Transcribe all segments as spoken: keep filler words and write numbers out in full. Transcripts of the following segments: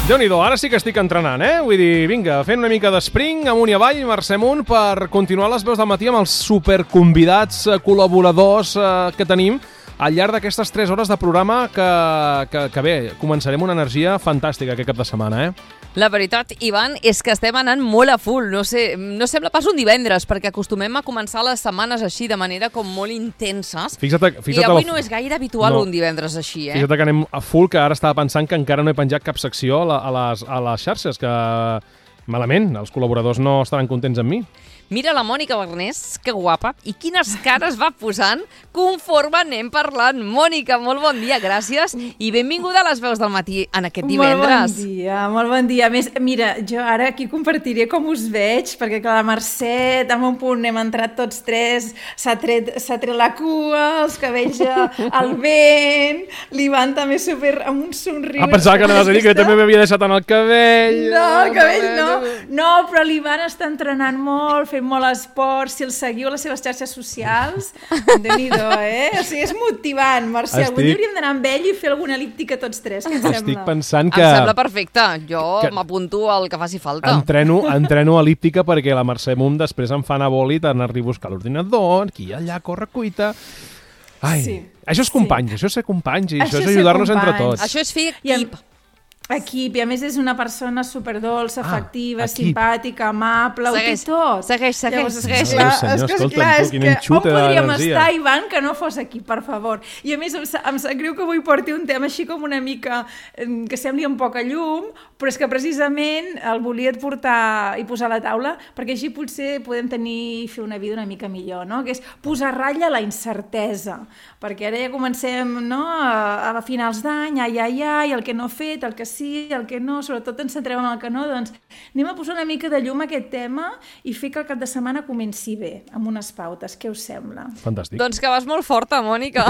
Déu-n'hi-do, ara sí que estic entrenant, eh? Vull dir, vinga, fent una mica d'espring, amunt i avall, Mercè amunt, per continuar les veus del matí amb els superconvidats, col·laboradors eh, que tenim al llarg d'aquestes tres hores de programa que, que, que bé, començarem una energia fantàstica aquest cap de setmana, eh? La veritat, Ivan, és que estem anant molt a full. No sé, no sembla pas un divendres, perquè acostumem a començar les setmanes així, de manera com molt intenses. Fixa't, fixa't I avui la... no és gaire habitual no. un divendres així, eh? Fixa't que anem a full, que ara estava pensant que encara no he penjat cap secció a, la, a, les, a les xarxes, que malament, els col·laboradors no estaran contents amb mi. Mira la Mònica Barnés, que guapa, i quines cares va posant conforme anem parlant. Mònica, molt bon dia, gràcies, i benvinguda a les veus del matí en aquest divendres. Molt bon dia, molt bon dia. A més, mira, jo ara aquí compartiré com us veig, perquè clar, la Mercè, en un punt hem entrat tots tres, s'ha tret, s'ha tret la cua, els cabells al vent, l'Ivan també super amb un somriure. Ah, pensava que anaves a dir que també m'havia deixat en el cabell. No, el cabell no. No, però l'Ivan està entrenant molt, fent molt esport. Si el seguiu a les seves xarxes socials, déu-n'hi-do, eh? O sigui, és motivant, Mercè. Estic... Avui hauríem d'anar amb ell i fer alguna elíptica tots tres, què et sembla? Estic pensant que... Em sembla perfecte. Jo que... m'apunto al que faci falta. Entreno, entreno elíptica perquè la Mercè Mum després em fa anar bòlit, anar-li a buscar l'ordinador, aquí allà, corre cuita... Ai, sí, això és companys, sí. Això és ser companys i això, això és ajudar-nos entre tots. Això és fer equip. Equip, i a més és una persona superdolça, ah, afectiva, equip. simpàtica, amable, segueix, ho té tot. Segueix, segueix, Llavors, segueix. Clar, senyor, és que, escolta'm, clar, tu, és quin que enxute on podríem d'energia. estar, Ivan, que no fos aquí, per favor. I a més em, em sap greu que avui porti un tema així com una mica que sembli un poc a llum, però és que precisament el volia portar i posar a la taula perquè així potser podem tenir fer una vida una mica millor, no? Que és posar ratlla a la incertesa, perquè ara ja comencem, no? a, a finals d'any, ai, ai, ai, el que no he fet, el que sí, el que no, sobretot ens centrem en el que no, doncs anem a posar una mica de llum a aquest tema i fer que el cap de setmana comenci bé, amb unes pautes. Què us sembla? Fantàstic. Doncs que vas molt forta, Mònica.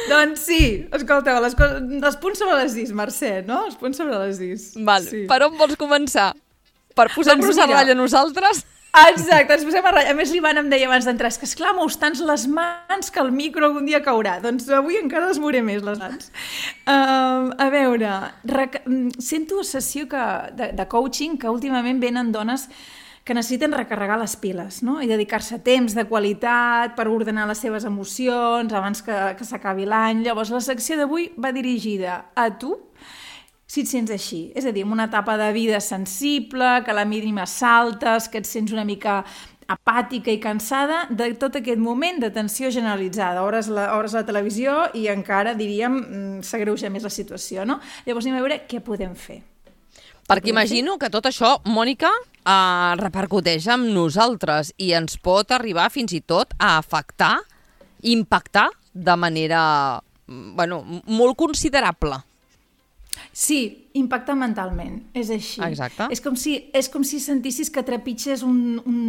Doncs sí, escolteu, les, coses, els punts sobre les is, Mercè, no? Els punts sobre les is. Val, sí. Per on vols començar? Per posar-nos doncs a ratlla nosaltres? Exacte, ens posem a ratlla. A més, l'Ivan em deia abans d'entrar, és que esclar, mous tants les mans que el micro algun dia caurà. Doncs avui encara les mouré més, les mans. Uh, a veure, rec... sento sessió que, de, de coaching que últimament venen dones que necessiten recarregar les piles, no? I dedicar-se temps de qualitat per ordenar les seves emocions abans que, que s'acabi l'any. Llavors, la secció d'avui va dirigida a tu, si et sents així, és a dir, en una etapa de vida sensible, que a la mínima saltes, que et sents una mica apàtica i cansada de tot aquest moment de tensió generalitzada, hores la, hores a la televisió i encara, diríem, s'agreuja més la situació, no? Llavors anem a veure què podem fer. Perquè imagino que tot això, Mònica, eh, repercuteix amb nosaltres i ens pot arribar fins i tot a afectar, impactar de manera, bueno, molt considerable. Sí, impacta mentalment, és així. Exacte. És com si, és com si sentissis que trepitges un, un...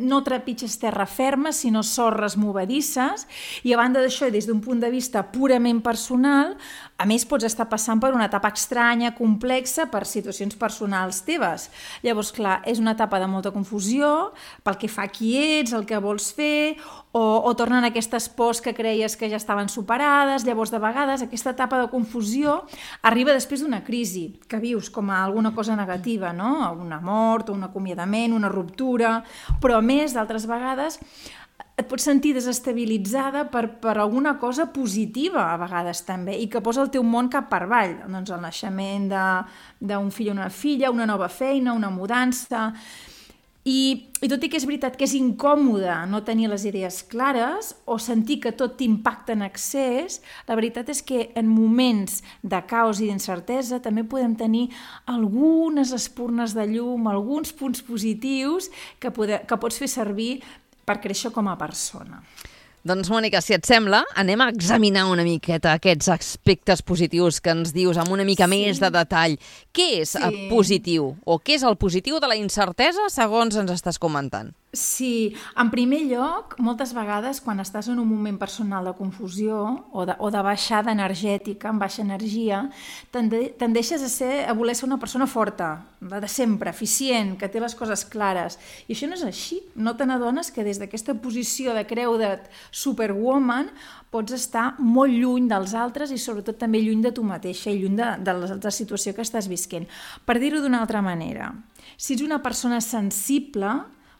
no trepitges terra ferma, sinó sorres movedisses, i a banda d'això, des d'un punt de vista purament personal, a més pots estar passant per una etapa estranya, complexa, per situacions personals teves. Llavors, clar, és una etapa de molta confusió, pel que fa a qui ets, el que vols fer, o, o tornen aquestes pors que creies que ja estaven superades. Llavors, de vegades, aquesta etapa de confusió arriba després d'una crisi, que vius com a alguna cosa negativa, no? Una mort, un acomiadament, una ruptura, però a més, d'altres vegades, et pots sentir desestabilitzada per, per alguna cosa positiva, a vegades també, i que posa el teu món cap per avall. Doncs el naixement d'un fill o una filla, una nova feina, una mudança... I, I tot i que és veritat que és incòmode no tenir les idees clares o sentir que tot t'impacta en excés, la veritat és que en moments de caos i d'incertesa també podem tenir algunes espurnes de llum, alguns punts positius que, pode, que pots fer servir per créixer com a persona. Doncs, Mònica, si et sembla, anem a examinar una miqueta aquests aspectes positius que ens dius amb una mica sí. més de detall. Què és sí. positiu? O què és el positiu de la incertesa, segons ens estàs comentant? Sí, en primer lloc, moltes vegades quan estàs en un moment personal de confusió o de, o de baixada energètica, amb baixa energia, tende, tendeixes a, ser, a voler ser una persona forta, la de sempre, eficient, que té les coses clares. I això no és així. No te n'adones que des d'aquesta posició de creu de superwoman pots estar molt lluny dels altres i sobretot també lluny de tu mateixa i lluny de, de la, de la situació que estàs visquent. Per dir-ho d'una altra manera, si ets una persona sensible,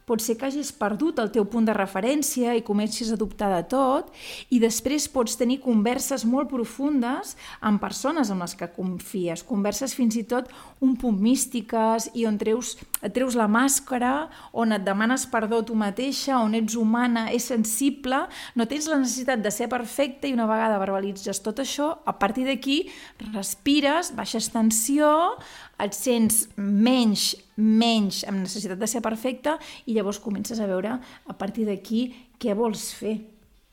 pot ser que hagis perdut el teu punt de referència i comencis a dubtar de tot i després pots tenir converses molt profundes amb persones amb les que confies, converses fins i tot un punt místiques i on treus, et treus la màscara, on et demanes perdó tu mateixa, on ets humana, és sensible, no tens la necessitat de ser perfecta i una vegada verbalitzes tot això, a partir d'aquí respires, baixes tensió, et sents menys, menys amb necessitat de ser perfecta i llavors comences a veure a partir d'aquí què vols fer,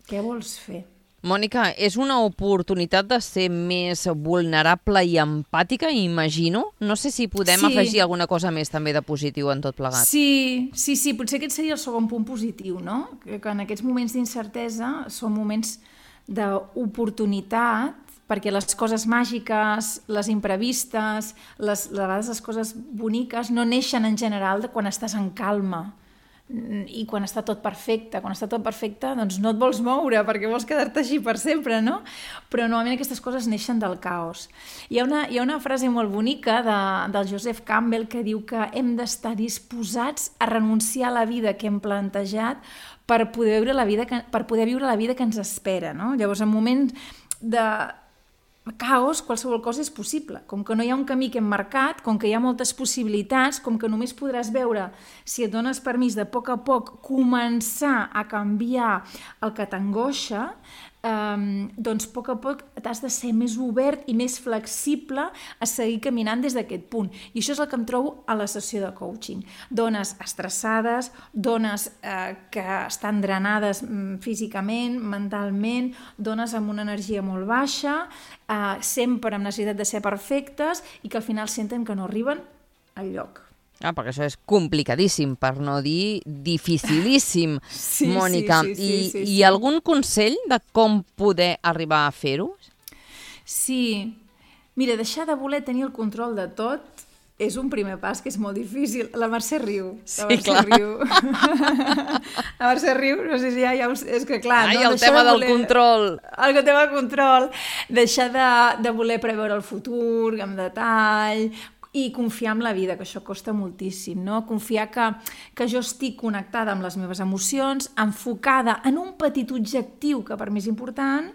què vols fer. Mònica, és una oportunitat de ser més vulnerable i empàtica, imagino? No sé si podem sí. afegir alguna cosa més també de positiu en tot plegat. Sí, sí, sí, potser aquest seria el segon punt positiu, no? Que en aquests moments d'incertesa són moments d'oportunitat perquè les coses màgiques, les imprevistes, les, a vegades les coses boniques no neixen en general de quan estàs en calma i quan està tot perfecte. Quan està tot perfecte, doncs no et vols moure perquè vols quedar-te així per sempre, no? Però normalment aquestes coses neixen del caos. Hi ha una, hi ha una frase molt bonica de, del Joseph Campbell que diu que hem d'estar disposats a renunciar a la vida que hem plantejat per poder viure la vida que, per poder viure la vida que ens espera, no? Llavors, en moments de caos, qualsevol cosa és possible. Com que no hi ha un camí que hem marcat, com que hi ha moltes possibilitats, com que només podràs veure, si et dones permís de a poc a poc començar a canviar el que t'angoixa, Um, doncs a poc a poc t'has de ser més obert i més flexible a seguir caminant des d'aquest punt. I això és el que em trobo a la sessió de coaching. Dones estressades, dones eh, que estan drenades mm, físicament, mentalment, dones amb una energia molt baixa, eh, sempre amb necessitat de ser perfectes i que al final senten que no arriben al lloc. Ah, perquè això és complicadíssim, per no dir dificilíssim, sí, Mònica. Sí, sí, sí, I, sí, sí. I algun consell de com poder arribar a fer-ho? Sí. Mira, deixar de voler tenir el control de tot és un primer pas que és molt difícil. La Mercè riu. Sí, la Mercè clar. riu. La Mercè riu, no sé si ja... ja us... És que clar... Ai, no? el Deixar tema de del voler... control. El tema del control. Deixar de, de voler preveure el futur amb detall, i confiar en la vida, que això costa moltíssim, no? Confiar que, que jo estic connectada amb les meves emocions, enfocada en un petit objectiu que per mi és important,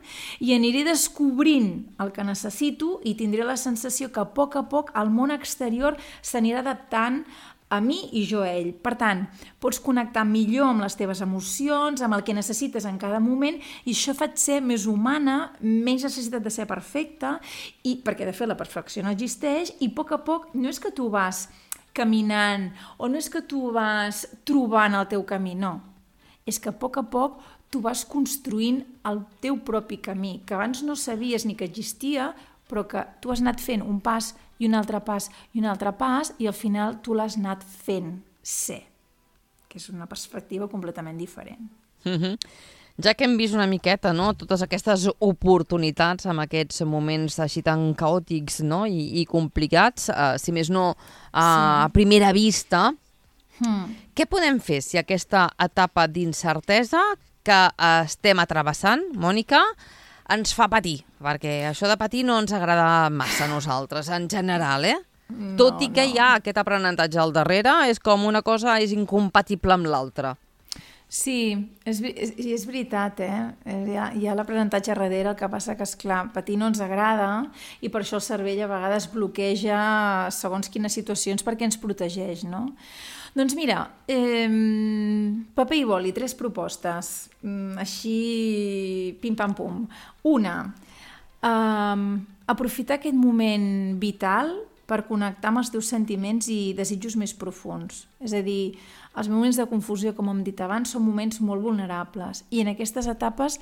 i aniré descobrint el que necessito i tindré la sensació que a poc a poc el món exterior s'anirà adaptant a mi i jo a ell. Per tant, pots connectar millor amb les teves emocions, amb el que necessites en cada moment, i això fa ser més humana, menys necessitat de ser perfecta, i perquè de fet la perfecció no existeix, i a poc a poc no és que tu vas caminant o no és que tu vas trobant el teu camí, no. És que a poc a poc tu vas construint el teu propi camí, que abans no sabies ni que existia, però que tu has anat fent un pas i un altre pas i un altre pas i al final tu l'has anat fent ser, que és una perspectiva completament diferent. Mm-hmm. Ja que hem vist una miqueta, no?, totes aquestes oportunitats en aquests moments així tan caòtics, no?, i, i complicats, uh, si més no uh, sí. a primera vista, mm. què podem fer si aquesta etapa d'incertesa que uh, estem travessant, Mònica, ens fa patir, perquè això de patir no ens agrada massa a nosaltres, en general, eh? No, Tot i que no. hi ha aquest aprenentatge al darrere, és com una cosa és incompatible amb l'altra. Sí, és, és, és veritat, eh? Hi ha, hi ha l'aprenentatge darrere, el que passa que, esclar, patir no ens agrada i per això el cervell a vegades bloqueja segons quines situacions perquè ens protegeix, no? Doncs mira, eh, paper i boli, tres propostes, així pim-pam-pum. Una, eh, aprofitar aquest moment vital per connectar amb els teus sentiments i desitjos més profuns. És a dir, els moments de confusió, com hem dit abans, són moments molt vulnerables i en aquestes etapes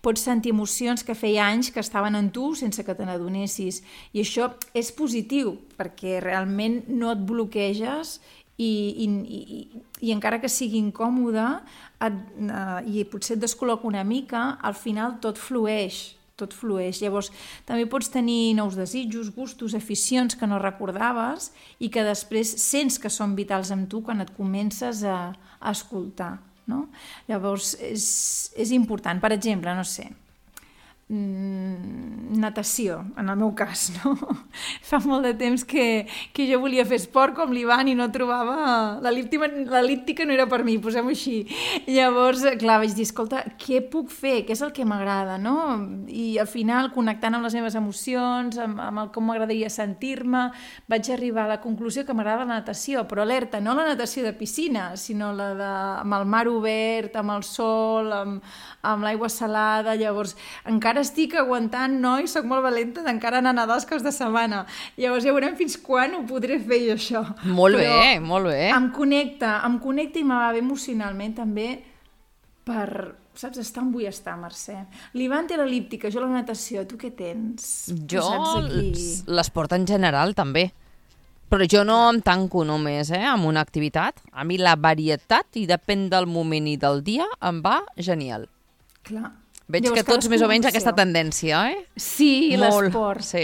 pots sentir emocions que feia anys que estaven en tu sense que te n'adonessis. I això és positiu perquè realment no et bloqueges i, i, i, i encara que sigui incòmode et, uh, i potser et descol·loca una mica, al final tot flueix, tot flueix. Llavors, també pots tenir nous desitjos, gustos, aficions que no recordaves i que després sents que són vitals amb tu quan et comences a, a escoltar, no? Llavors, és, és important. Per exemple, no sé, natació, en el meu cas, no? Fa molt de temps que, que jo volia fer esport com l'Ivan i no trobava... L'elíptica no era per mi, posem-ho així. Llavors, clar, vaig dir, escolta, què puc fer? Què és el que m'agrada, no? I al final, connectant amb les meves emocions, amb, amb el com m'agradaria sentir-me, vaig arribar a la conclusió que m'agrada la natació, però alerta, no la natació de piscina, sinó la de, amb el mar obert, amb el sol, amb, amb l'aigua salada. Llavors, encara estic aguantant, no? I soc molt valenta d'encara anar a nedar els caps de setmana. Llavors ja veurem fins quan ho podré fer jo, això. Molt Però bé, molt bé. Em connecta, em connecta i me va bé emocionalment també per, saps, estar on vull estar, Mercè. L'Ivan té l'elíptica, jo la natació. Tu què tens? Jo Aquí... l'esport en general també. Però jo no em tanco només eh, amb una activitat. A mi la varietat, i depèn del moment i del dia, em va genial. Clar. Veig Llavors, que tots més o menys aquesta tendència, eh? Sí, Molt, l'esport. sí.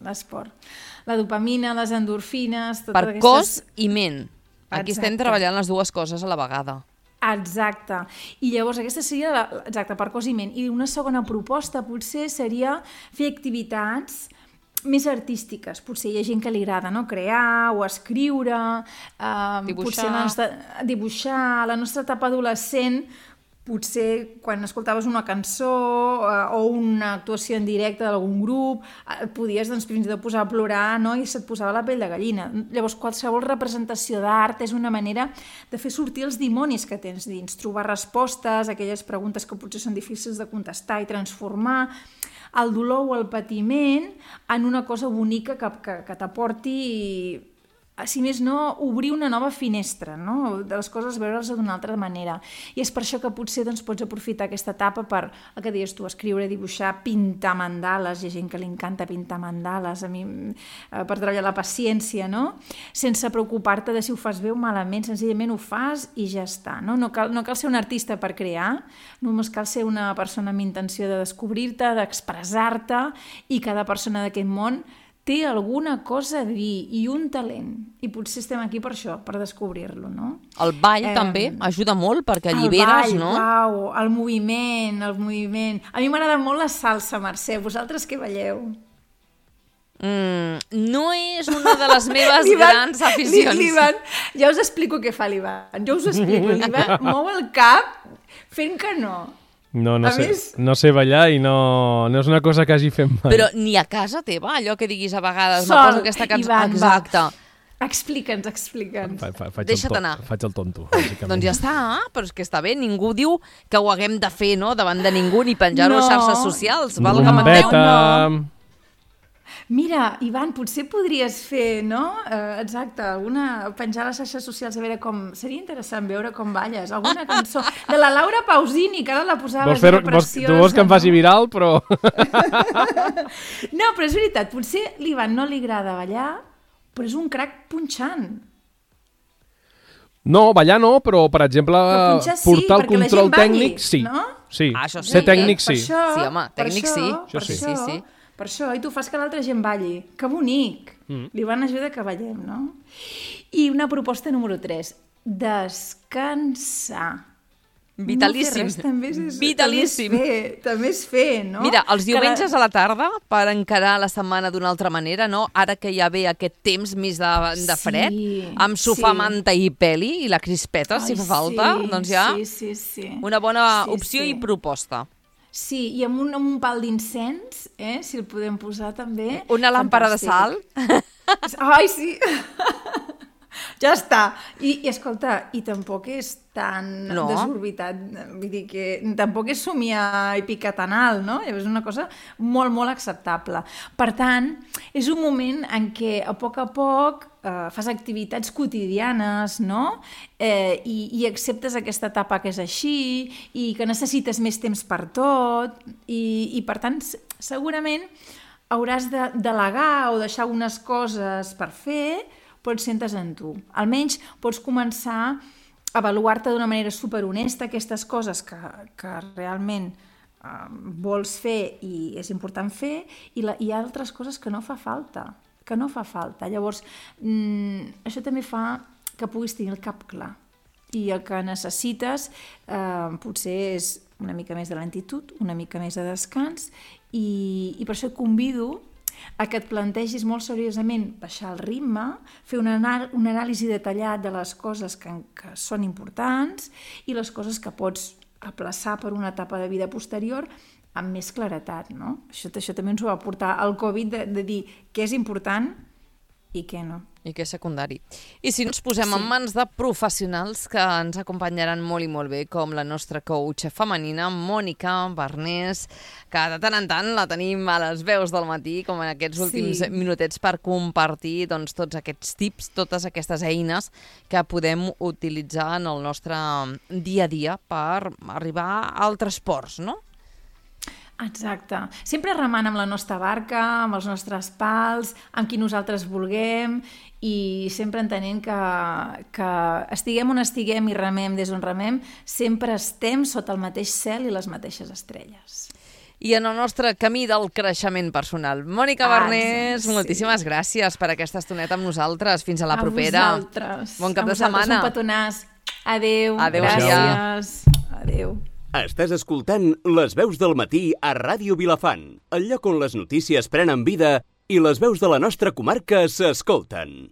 L'esport. La dopamina, les endorfines... Per aquestes... cos i ment. Aquí Exacte. estem treballant les dues coses a la vegada. Exacte. I llavors aquesta seria, la, exacte, per cos i ment. I una segona proposta potser seria fer activitats més artístiques. Potser hi ha gent que li agrada, no? Crear o escriure, eh, dibuixar. Potser la nostra, dibuixar, la nostra etapa adolescent, potser quan escoltaves una cançó eh, o una actuació en directe d'algun grup, et podies doncs, fins i tot posar a plorar, no? I se't posava la pell de gallina. Llavors, qualsevol representació d'art és una manera de fer sortir els dimonis que tens dins, trobar respostes a aquelles preguntes que potser són difícils de contestar i transformar el dolor o el patiment en una cosa bonica que, que, que t'aporti, si més no, obrir una nova finestra, no? De les coses, veure-les d'una altra manera. I és per això que potser doncs, pots aprofitar aquesta etapa per, el que deies tu, escriure, dibuixar, pintar mandales. Hi ha gent que li encanta pintar mandales, a mi, eh, per treballar la paciència, no? Sense preocupar-te de si ho fas bé o malament, senzillament ho fas i ja està, no? No cal, no cal ser un artista per crear, només cal ser una persona amb intenció de descobrir-te, d'expressar-te, i cada persona d'aquest món té alguna cosa a dir i un talent. I potser estem aquí per això, per descobrir-lo, no? El ball eh, també ajuda molt perquè alliberes, el ball, no? Uau, el moviment, el moviment. A mi m'agrada molt la salsa, Mercè. Vosaltres què balleu? Mm, no és una de les meves grans aficions. L'Ivan, ja us explico què fa l'Ivan. Jo us ho explico. L'Ivan mou el cap fent que no. No, no A sé, més- no sé ballar i no, no és una cosa que hagi fet mai. Però ni a casa teva, allò que diguis a vegades, me Sol, poso aquesta cançó. Ivan, va. Exacte. Explica'ns, explica'ns. Fa, fa, faig Deixa't el to, anar. Faig el tonto, bàsicament. Doncs ja està, però és que està bé, ningú diu que ho haguem de fer, no?, davant de ningú, ni penjar-ho a No. xarxes socials, valga'm Bombeta. Déu. Bombeta... Mira, Ivan, potser podries fer, no? Eh, exacte, alguna... penjar a les xarxes socials, a veure com... Seria interessant veure com balles. Alguna cançó de la Laura Pausini, que ara la posaves, Vols fer, era vols, preciosa. tu vols que em faci no? viral, però... No, però és veritat, potser l'Ivan no li agrada ballar, però és un crac punxant. No, ballar no, però, per exemple, Però punxar sí, portar el perquè la control gent balli, tècnic, sí. no? Sí, Ah, això ser sí. tècnic, Per sí. això, Sí, home, per tècnic això, sí. Per Això sí. això, Sí, sí. per això, i tu fas que l'altra gent balli. Que bonic! Mm. L'Ivan ajuda que ballem, no? I una proposta número tres, descansar. Vitalíssim. No fer res, també és, Vitalíssim. També és fer, també és fer, no? Mira, els Que diumenges a la tarda, per encarar la setmana d'una altra manera, no? Ara que ja ve aquest temps més de, de fred, Sí, amb sofà, sí. manta i peli, i la crispeta, si Ai, fa falta, sí, doncs ja Sí, sí, sí. una bona Sí, opció sí. i proposta. Sí, i amb un, amb un pal d'incens, eh, si el podem posar també. Una làmpara de sal. Fantàstic. Ai, sí! Ja està. I, I escolta, i tampoc és tan No. desorbitat, vull dir que tampoc és somiar i picar tan alt, no? És una cosa molt, molt acceptable. Per tant, és un moment en què a poc a poc eh, fas activitats quotidianes, no? Eh, i, I acceptes aquesta etapa que és així i que necessites més temps per tot i, i per tant, s- segurament hauràs de delegar o deixar unes coses per fer, però et sentes en tu. Almenys pots començar a avaluar-te d'una manera superhonesta aquestes coses que, que realment eh, vols fer i és important fer, i la, hi ha altres coses que no fa falta, que no fa falta. Llavors, mm, això també fa que puguis tenir el cap clar. I el que necessites eh, potser és una mica més de lentitud, una mica més de descans, i, i per això et convido a que et plantegis molt seriosament baixar el ritme, fer un, anal un anàlisi detallat de les coses que, que són importants i les coses que pots aplaçar per una etapa de vida posterior amb més claretat, no? Això, això també ens ho va portar el Covid, de, de dir què és important i què no. I què és secundari. I si ens posem sí. en mans de professionals que ens acompanyaran molt i molt bé, com la nostra coach femenina, Mònica Barnés, que de tant en tant la tenim a les veus del matí, com en aquests últims sí. minutets, per compartir doncs, tots aquests tips, totes aquestes eines que podem utilitzar en el nostre dia a dia per arribar a altres ports, no? Exacte. Sempre remant amb la nostra barca, amb els nostres pals, amb qui nosaltres vulguem, i sempre entenent que, que estiguem on estiguem i remem des on remem, sempre estem sota el mateix cel i les mateixes estrelles. I en el nostre camí del creixement personal. Mònica Barnés, ah, sí. moltíssimes gràcies per aquesta estoneta amb nosaltres. Fins a la a propera. A vosaltres. Bon cap a de setmana. Un petonàs. Adéu. Adéu. Gràcies. Adéu. Estàs escoltant Les Veus del Matí a Ràdio Vilafant, el lloc on les notícies prenen vida i les veus de la nostra comarca s'escolten.